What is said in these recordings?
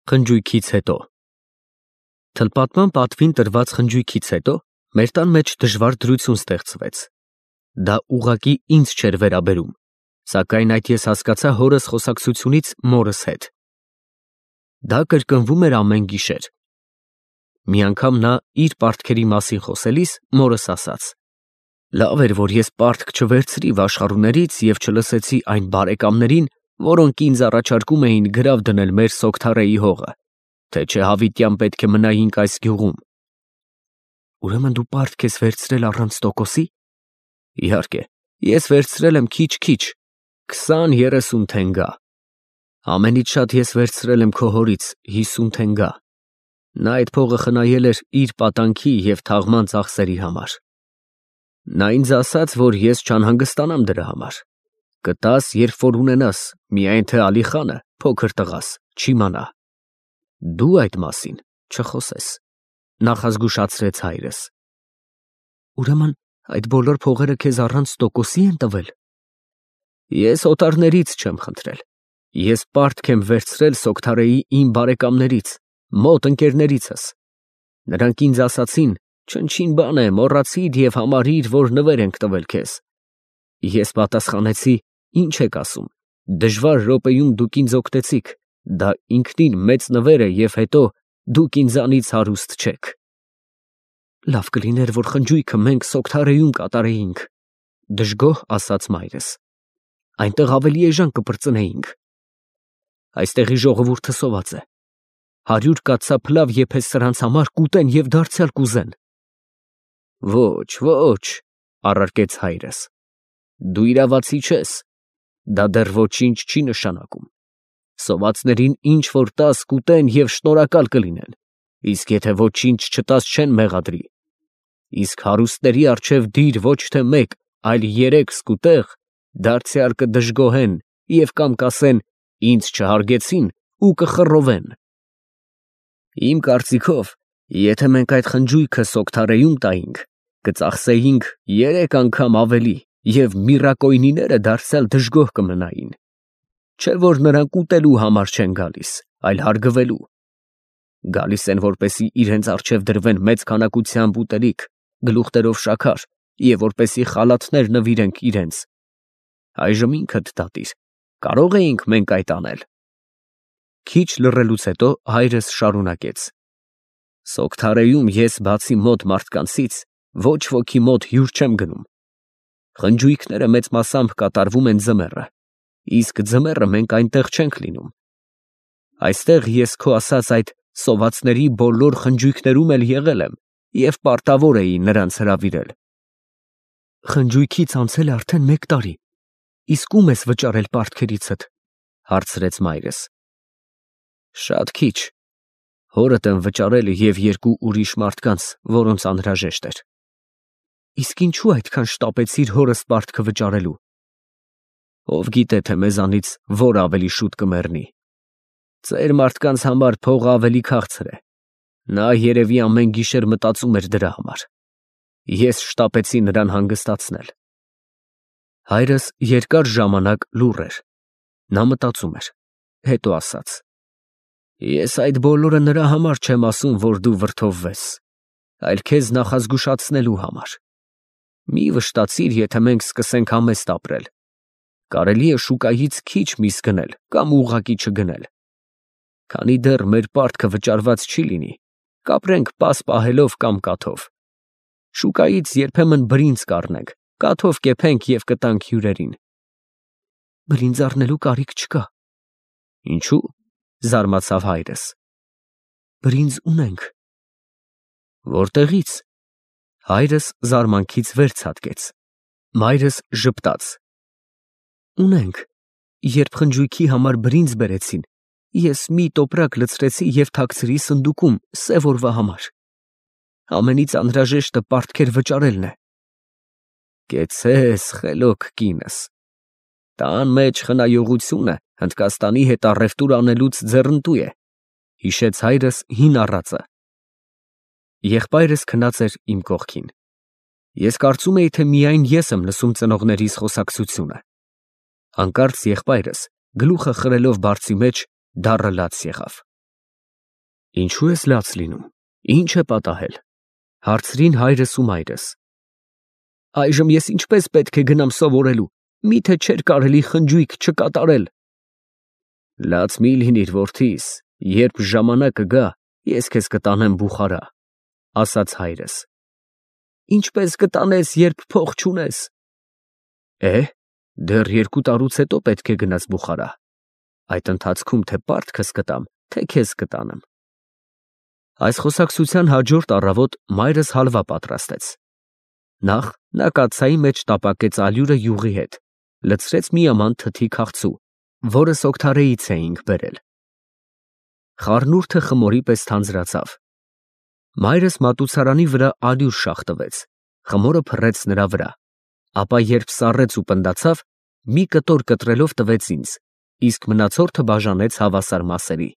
Խնջույքից հետո Թլպատման պատվին տրված խնջույքից հետո մեր տան մեջ դժվար դրություն ստեղծվեց։ Դա ուղղակի ինձ չէր վերաբերում, սակայն այդ ես հասկացա հորս խոսակցությունից մորս հետ։ Դա կրկնվում էր ամեն գիշեր։ Մի անգամ նա իր պարտքերի մասին խոսելիս մորս ասաց. «Լավ էր, որ ես պարտք չվերցրի վաշխառուներից և չլսեցի այն բարեկամներին, որոնք ինձ առաջարկում էին գրավ դնել մեր Սոգթարեի հողը, թե չէ հավիտյան պետք է մնայինք այս գյուղում»։ Ուրեմն դու պարտք ես վերցրել առանց տոկոսի։ Իհարկե, ես վերցրել եմ քիչ-քիչ, 20-30 թենգա։ Ամենից շատ ես վերցրել եմ քո հորից 50 թենգա։ Նա այդ փողը խնայել էր իր պատանքի և թաղման ծախսերի համար։ Նա ինձ ասաց, որ ես չանհանգստանամ դրա համար։ Կտաս, երբ որ ունենաս, միայն թե Ալիխանը, փոքր տղաս, չիմանա։ Դու այդ մասին չխոսես, նախազգուշացրեց հայրս։ Ուրեմն այդ բոլոր փողերը քեզ առանց տոկոսի են տվել։ Ես օտարներից չեմ խնդրել։ Ես պարտք եմ վերցրել Սոգթարեի իմ բարեկամներից, մոտ ընկերներիցս։ Նրանք ինձ ասացին. չնչին բան է, մոռացիր և համարիր, որ նվեր ենք տվել քեզ։ Ես պատասխանեցի. ինչ եք ասում, դժվար րոպեում դուք ինձ օգնեցիք, դա ինքնին մեծ նվեր է և հետո դուք ինձանից հարուստ չեք։ Լավ կլիներ, որ խնջույքը մենք Սոգթարեում կատարեինք, դժգոհ ասաց մայրս։ Այնտեղ ավելի էժան կպրծնեինք։ Այստեղի ժողովուրդը սոված է։ 100 կաթսա փլավ եփես սրանց համար, կուտեն և դարձյալ կուզեն։ Ոչ, ոչ, առարկեց հայրս, դու իրավացի չես, դա դեռ ոչինչ չի նշանակում։ Սովածներին ինչ որ տաս կուտեն և շնորհակալ կլինեն, իսկ եթե ոչինչ չտաս չեն մեղադրի։ Իսկ հարուստների առջև դիր ոչ թե մեկ, այլ 3 սկուտեղ, դարձյալ կդժգոհեն և կամ կասեն. ինձ չհարգեցին ու կխռովեն։ Իմ կարծիքով, եթե մենք այդ խնջույքը Սոգթարեում տայինք, կծախսեինք 3 անգամ ավելի և միրակոյնիները դարձյալ դժգոհ կմնային։ Չէ որ նրանք ուտելու համար չեն գալիս, այլ հարգվելու։ Գալիս են, որպեսզի իրենց առջև դրվեն մեծ քանակությամբ ուտելիք, գլուխներով շաքար և որպեսզի խալաթներ նվիրենք իրենց։ Այժմ ինքդ դատիր, կարո՞ղ էինք մենք այդ անել։ Քիչ լռելուց հետո հայրս շարունակեց. Սոգթարեում ես բացի մոտ մարդկանցից ոչ ոքի մոտ հյուր չեմ գնում։ Խնջույքները մեծ մասամբ կատարվում են ձմեռը, իսկ ձմեռը մենք այնտեղ չենք լինում։ Այստեղ ես քո ասած այդ սովածների բոլոր խնջույքներում էլ եղել եմ և պարտավոր էի նրանց հրավիրել։ Խնջույքից անցել է արդեն 1 տարի, իսկ ո՞ւմ ես վճարել պարտքերիցդ, հարցրեց մայրս։ Շատ քիչ, հորդ եմ վճարել և 2 ուրիշ մարդկանց, որոնց անհրաժեշտ էր։ Իսկ ինչու այդքան շտապեցիր հորս պարտքը վճարելու։ Ով գիտե, թե մեզանից որ ավելի շուտ կմեռնի։ Ծեր մարդկանց համար փողը ավելի քաղցր է։ Նա երևի ամեն գիշեր մտածում էր դրա համար։ Ես շտապեցի նրան հանգստացնել։ Հայրս երկար ժամանակ լուռ էր։ Նա մտածում էր, հետո ասաց. Ես այդ բոլորը նրա համար չեմ ասում, որ դու վրդովվես, այլ քեզ նախազգուշացնելու համար։ Մի վշտացիր, եթե մենք սկսենք համեստ ապրել։ Կարելի է շուկայից քիչ միս գնել կամ ուղղակի չգնել։ Քանի դեռ մեր պարտքը վճարված չի լինի, կապրենք պաս պահելով կամ կաթով։ Շուկայից երբեմն բրինձ կառնենք, կաթով կեփենք և կտանք հյուրերին։ Բրինձ առնելու կարիք չկա։ Ինչու՞, զարմացավ հայրս։ Բրինձ ունենք։ Որտեղի՞ց։ Հայրս զարմանքից վեր ցատկեց։ Մայրս ժպտաց։ Ունենք։ Երբ խնջույքի համար բրինձ բերեցին, ես մի տոպրակ լցրեցի և թաքցրի սնդուկում սև օրվա համար։ Ամենից անհրաժեշտը պարտքեր վճարելն է։ Կեցցես, խելոք կինս։ Տան մեջ խնայողությունը Հնդկաստանի հետ առևտուր անելուց ձեռնտու է, հիշեց հայրս հին առածը։ Եղբայրս քնած էր իմ կողքին։ Ես կարծում էի, թե միայն ես եմ լսում ծնողներիս խոսակցությունը։ Հանկարծ եղբայրս, գլուխը խրելով բարձի մեջ, դառը լաց եղավ։ Ինչու ես լաց լինում, ինչ է պատահել, հարցրին հայրս ու մայրս։ Այժմ ես ինչպես պետք է գնամ սովորելու, միթե չէր կարելի խնջույք չկատարել։ Լաց մի լինիր, որդիս, երբ ժամանակը գա, ես քեզ կտանեմ Բուխարա, ասաց հայրս։ Ինչպես կտանես, երբ փող չունես։ Դեռ 2 տարուց հետո պետք է գնաս Բուխարա։ Այդ ընթացքում թե պարտքս կտամ, թե քեզ կտանեմ։ Այս խոսակցության հաջորդ առավոտ մայրս հալվա պատրաստեց։ Նախ նա կաթսայի մեջ տապակեց ալյուրը յուղի հետ, լցրեց մի աման թթի քաղցու, որը Սոգթարեից էինք բերել։ Խառնուրդը խմորի պես թանձրացավ։ Մայրս մատուցարանի վրա ալյուր շաղ տվեց, խմորը փռեց նրա վրա, ապա երբ սառեց ու պնդացավ, մի կտոր կտրելով տվեց ինձ, իսկ մնացորդը բաժանեց հավասար մասերի։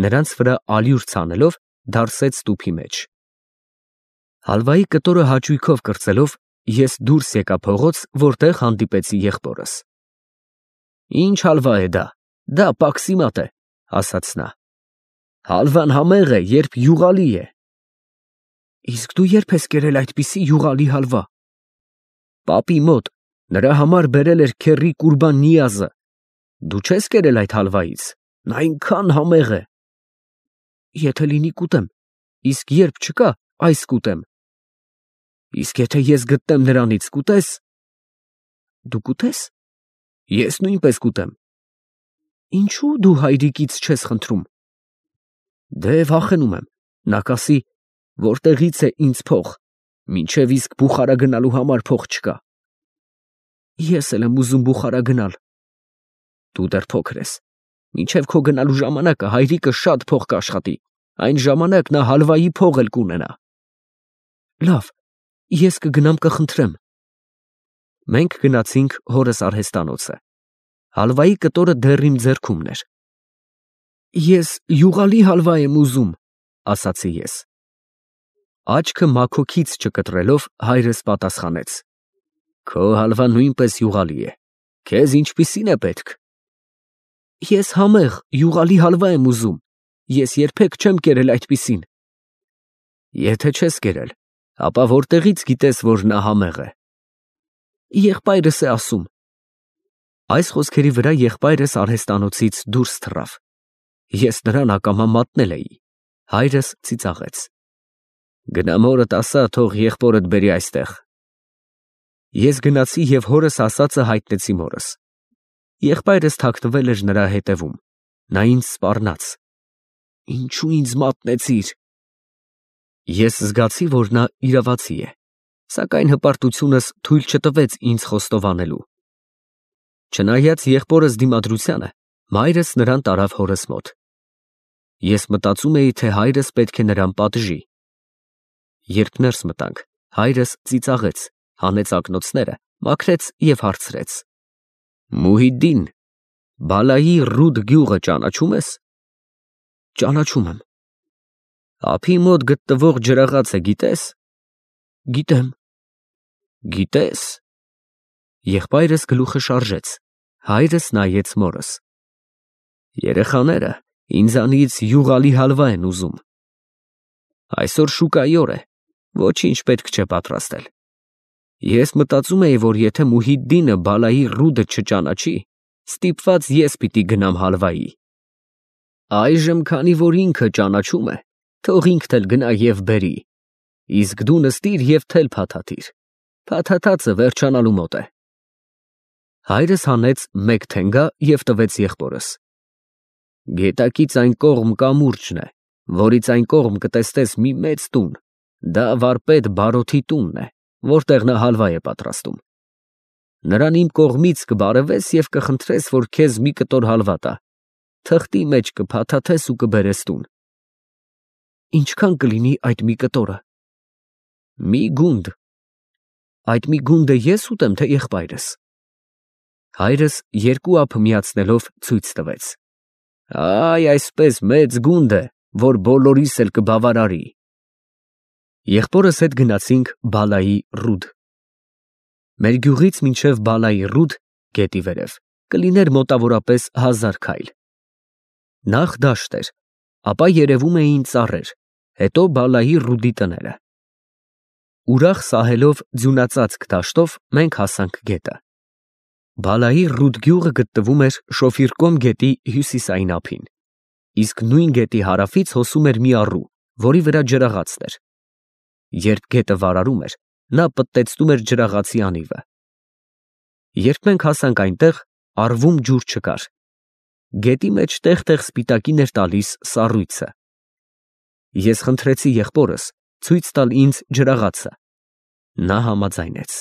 Նրանց վրա ալյուր ցանելով դարսեց տուփի մեջ։ Հալվայի կտորը հաճույքով կրծելով, ես դուրս եկա փողոց, որտեղ հանդիպեցի եղբորս։ Ինչ հալվա է դա պաքսիմատ է, ասաց նա։ Հալվան համեղ է, երբ յուղալի է։ Իսկ դու երբ ես կերել այդպիսի յուղալի հալվա։ Պապի մոտ, նրա համար բերել էր քեռի Կուրբան Նիազը։ Դու չես կերել այդ հալվայից, նա այնքան համեղ է։ Եթե լինի կուտեմ, իսկ երբ չկա, այս կուտեմ։ Իսկ եթե ես գտնեմ նրանից, կուտես։ Դու կուտես։ Ես նույնպես կուտեմ։ Ինչու դու հայրիկից չես խնդրում։ Դե վախենում եմ, նա կասի, որտեղից է ինձ փող, մինչև իսկ Բուխարա գնալու համար փող չկա։ Ես էլ եմ ուզում Բուխարա գնալ։ Դու դեռ փոքր ես, մինչև քո գնալու ժամանակը հայրիկը շատ փող կաշխատի, այն ժամանակ նա հալվայի փող էլ կունենա։ Լավ, ես կգնամ կխնդրեմ։ Մենք գնացինք հորս արհեստանոցը։ Հալվայի կտորը դեռ իմ ձեռքումն էր։ Ես յուղալի հալվա եմ ուզում, ասացի ես։ Աչքը մաքոքից չկտրելով հայրս պատասխանեց. Քո հալվան նույնպես յուղալի է։ Քեզ ինչպիսին է պետք։ Ես համեղ յուղալի հալվա եմ ուզում։ Ես երբեք չեմ կերել այդպիսին։ Եթե չես կերել, ապա որտեղից գիտես, որ նա համեղ է։ Եղբայրս է ասում։ Այս խոսքերի վրա եղբայրս արհեստանոցից դուրս թռավ։ Ես նրան ակամա մատնել էի։ Հայրս ծիծաղեց։ Գնա մորդ ասա, թող եղբորդ բերի այստեղ։ Ես գնացի և հորս ասածը հայտնեցի մորս։ Եղբայրս թաքնվել էր նրա հետևում։ Նա ինձ սպառնաց։ Ինչու ինձ մատնեցիր։ Ես զգացի, որ նա իրավացի է, սակայն հպարտությունս թույլ չտվեց ինձ խոստովանելու։ Չնայած եղբորս դիմադրությանը, մայրս նրան տարավ հորս մոտ։ Ես մտածում էի, թե հայրս պետք է նրան պատժի։ Երբ ներս մտանք, հայրս ծիծաղեց, հանեց ակնոցները, մաքրեց և հարցրեց. Մուհիդդին, Բալայի Ռուդ գյուղը ճանաչում ես։ Ճանաչում եմ։ Ափի մոտ գտնվող ջրաղացը գիտես։ Գիտեմ։ Գիտես։ Եղբայրս գլուխը շարժեց, հայրս նայեց մորս։ Երեխաները ինձանից յուղալի հալվա են ուզում։ Այսօր շուկայի օր է, ոչինչ պետք չէ պատրաստել։ Ես մտածում էի, որ եթե Մուհիդդինը Բալայի Ռուդը չճանաչի, ստիպված ես պիտի գնամ հալվայի։ Այժմ, քանի որ ինքը ճանաչում է, թող ինքն էլ գնա և բերի, իսկ դու նստիր և թել փաթաթիր, փաթաթածը վերջանալու մոտ է։ Հայրս հանեց մեկ թենգա և տվեց եղբորս։ Գետակից այն կողմ կամուրջն է, որից այն կողմ կտեսնես մի մեծ տուն, դա վարպետ Բարոթի տունն է, որտեղ նա հալվա է պատրաստում։ Նրան իմ կողմից կբարևես և կխնդրես, որ քեզ մի կտոր հալվա տա, թղթի մեջ կփաթաթես ու կբերես տուն։ Ինչքան կլինի այդ մի կտորը։ Մի գունդ։ Այդ մի գունդը ես ուտեմ, թե եղբայրս։ Հայրս երկու ափ միացնելով ցույց տվեց։ Այ այսպես մեծ գունդ է, որ բոլորիս էլ կբավարարի։ Եղբորս հետ գնացինք Բալայի Ռուդ։ Մեր գյուղից մինչև Բալայի Ռուդ, գետի վերև, կլիներ մոտավորապես 1000 քայլ։ Նախ դաշտ էր, ապա երևում էին ծառեր, հետո Բալայի Ռուդի տները։ Ուրախ սահելով ձյունածածկ դաշտով մենք հասանք գետը։ Բալայի Ռուդ գյուղը գտնվում էր Շոֆիրկոմ գետի հյուսիսային ափին, իսկ նույն գետի հարավից հոսում էր մի առու, որի վրա ջրաղացն էր։ Երբ գետը վարարում էր, նա պտտեցնում էր ջրաղացի անիվը։ Երբ մենք հասանք այնտեղ, առվում ջուր չկար։ Գետի մեջ տեղ-տեղ սպիտակին էր տալիս սառույցը։ Ես խնդրեցի եղբորս ցույց տալ ինձ ջրաղացը։ Նա համաձայնեց։